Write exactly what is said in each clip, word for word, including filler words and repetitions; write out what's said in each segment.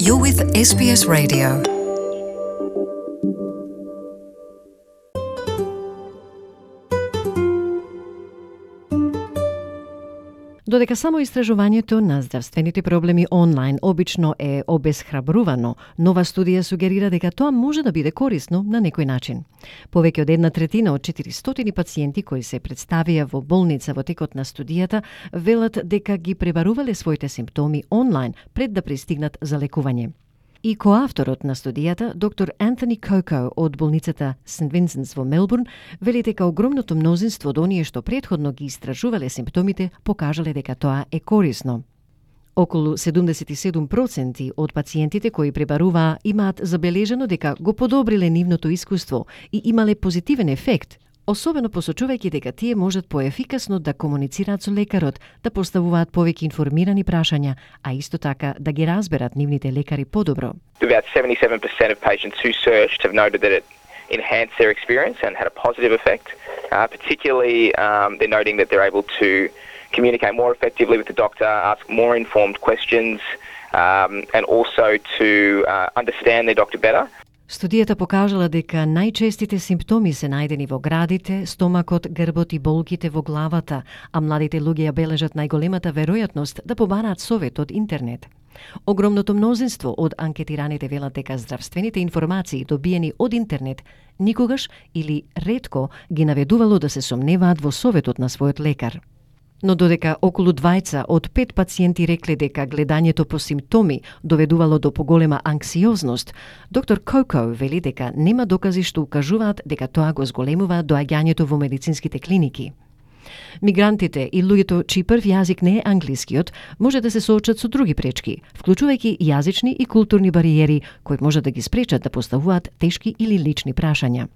You're with S B S Radio. Додека само истражувањето на здравствените проблеми онлайн обично е обесхрабрувано, нова студија сугерира дека тоа може да биде корисно на некој начин. Повеќе од една третина од четиристотини пациенти кои се представија во болница во текот на студијата велат дека ги пребарувале своите симптоми онлайн пред да пристигнат за лекување. И коавторот на студијата, доктор Антони Коко од болницата Сент Винсентс во Мелбурн, вели дека огромното мнозинство од оние што претходно ги истражувале симптомите покажале дека тоа е корисно. Околу седумдесет и седум проценти од пациентите кои пребаруваа имаат забележано дека го подобриле нивното искуство и имале позитивен ефект, особено посочувајќи дека тие можат поефикасно да комуницираат со лекарот, да поставуваат повеќе информирани прашања, а исто така да ги разберат нивните лекари подобро. About seventy-seven percent of patients who searched have noted that it enhanced their experience and had a positive effect. Uh, particularly, um, they're noting that they're able to communicate more effectively with the doctor, ask more informed questions, um, and also to uh, understand their doctor better. Студијата покажала дека најчестите симптоми се најдени во градите, стомакот, грбот и болките во главата, а младите луѓе ја бележат најголемата веројатност да побараат совет од интернет. Огромното мнозинство од анкетираните велат дека здравствените информации добиени од интернет никогаш или ретко ги наведувало да се сомневаат во советот на својот лекар. Но додека околу двајца од пет пациенти рекле дека гледањето по симптоми доведувало до поголема анксиозност, доктор Коко вели дека нема докази што укажуваат дека тоа го зголемува доаѓањето во медицинските клиники. Мигрантите и луѓето чиј прв јазик не е англискиот може да се соочат со други пречки, вклучувајќи јазични и културни бариери кои може да ги спречат да поставуваат тешки или лични прашања.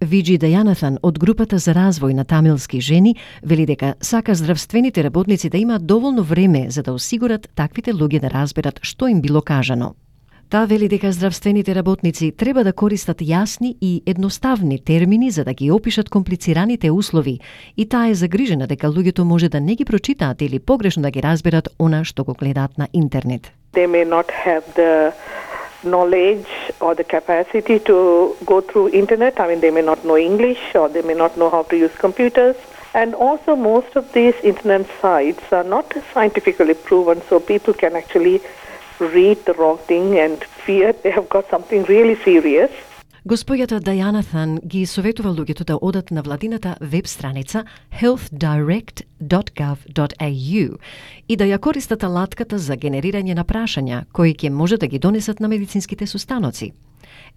Виджи Дајанатхан од групата за развој на тамилски жени вели дека сака здравствените работници да имаат доволно време за да осигурат таквите луѓе да разберат што им било кажано. Таа вели дека здравствените работници треба да користат јасни и едноставни термини за да ги опишат комплицираните услови и таа е загрижена дека луѓето може да не ги прочитаат или погрешно да ги разберат она што го гледаат на интернет. They may not have the knowledge or the capacity to go through internet. I mean, they may not know English or they may not know how to use computers. And also most of these internet sites are not scientifically proven, so people can actually read the wrong thing and fear they have got something really serious. Госпоѓата Дајанатхан ги советува луѓето да одат на владината веб страница health direct dot gov dot a u и да ја користат алатката за генерирање на прашања кои ќе може да ги донесат на медицинските состаноци.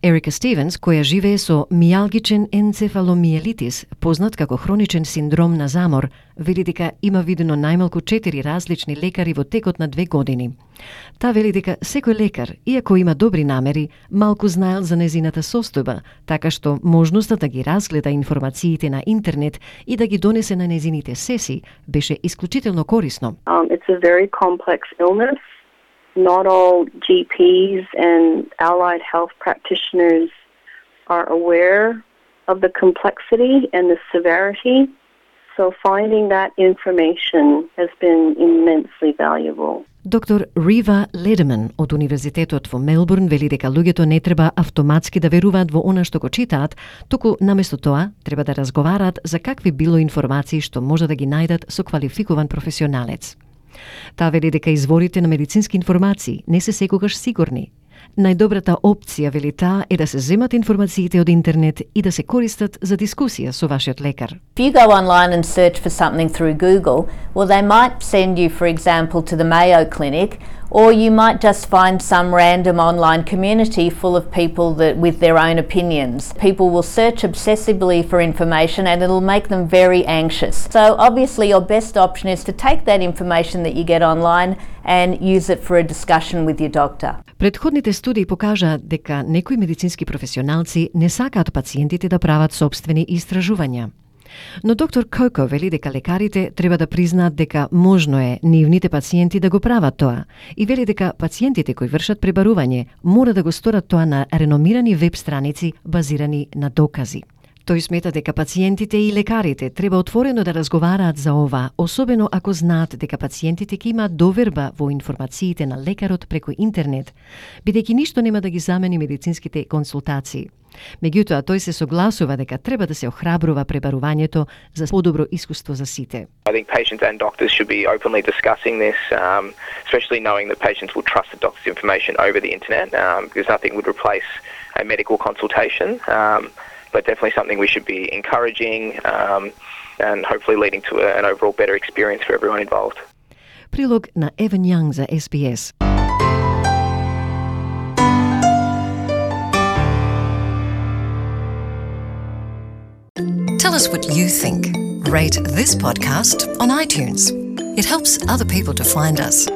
Ерика Стивенс, која живее со мијалгичен енцефаломиелитис, познат како хроничен синдром на замор, вели дека има видено најмалку четири различни лекари во текот на две години. Та вели дека секој лекар, иако има добри намери, малку знаел за незината состојба, така што можноста да ги разгледа информациите на интернет и да ги донесе на незините сесии беше исклучително корисно. Um, it's a very complex illness. Not all G Ps and allied health practitioners are aware of the complexity and the severity, so finding that information has been immensely valuable. Доктор Рива Ледеман од Универзитетот во Мелбурн вели дека луѓето не треба автоматски да веруваат во она што го читаат, туку наместо тоа треба да разговараат за какви било информации што може да ги најдат со квалификуван професионалец. Таа вели дека изворите на медицински информации не се секогаш сигурни. Најдобрата опција, вели таа, е да се земат информациите од интернет и да се користат за дискусија со вашиот лекар. If you go online and search for something through Google, well, they might send you, for example, to the Mayo Clinic, or you might just find some random online community full of people that with their own opinions. People will search obsessively for information and it'll make them very anxious. So obviously your best option is to take that information that you get online and use it for a discussion with your doctor. Предходните студии покажаат дека некои медицински професионалци не сакаат пациентите да прават собствени истражувања. Но доктор Коко вели дека лекарите треба да признаат дека можно е нивните пациенти да го прават тоа и вели дека пациентите кои вршат пребарување мора да го сторат тоа на реномирани веб страници базирани на докази. Тој смета дека пациентите и лекарите треба отворено да разговараат за ова, особено ако знаат дека пациентите ќе имаат доверба во информациите на лекарот преку интернет, бидејќи ништо нема да ги замени медицинските консултации. Меѓутоа, тој се согласува дека треба да се охрабрува пребарувањето за подобро искуство за сите. I think patients and doctors should be openly discussing this, um, especially knowing that patients will trust the doctor's information over the internet, um, because nothing would replace a medical consultation, um, but definitely something we should be encouraging um, and hopefully leading to a, an overall better experience for everyone involved. Прилог на Еван Јанг за Ес Би Ес. Tell us what you think. Rate this podcast on iTunes. It helps other people to find us.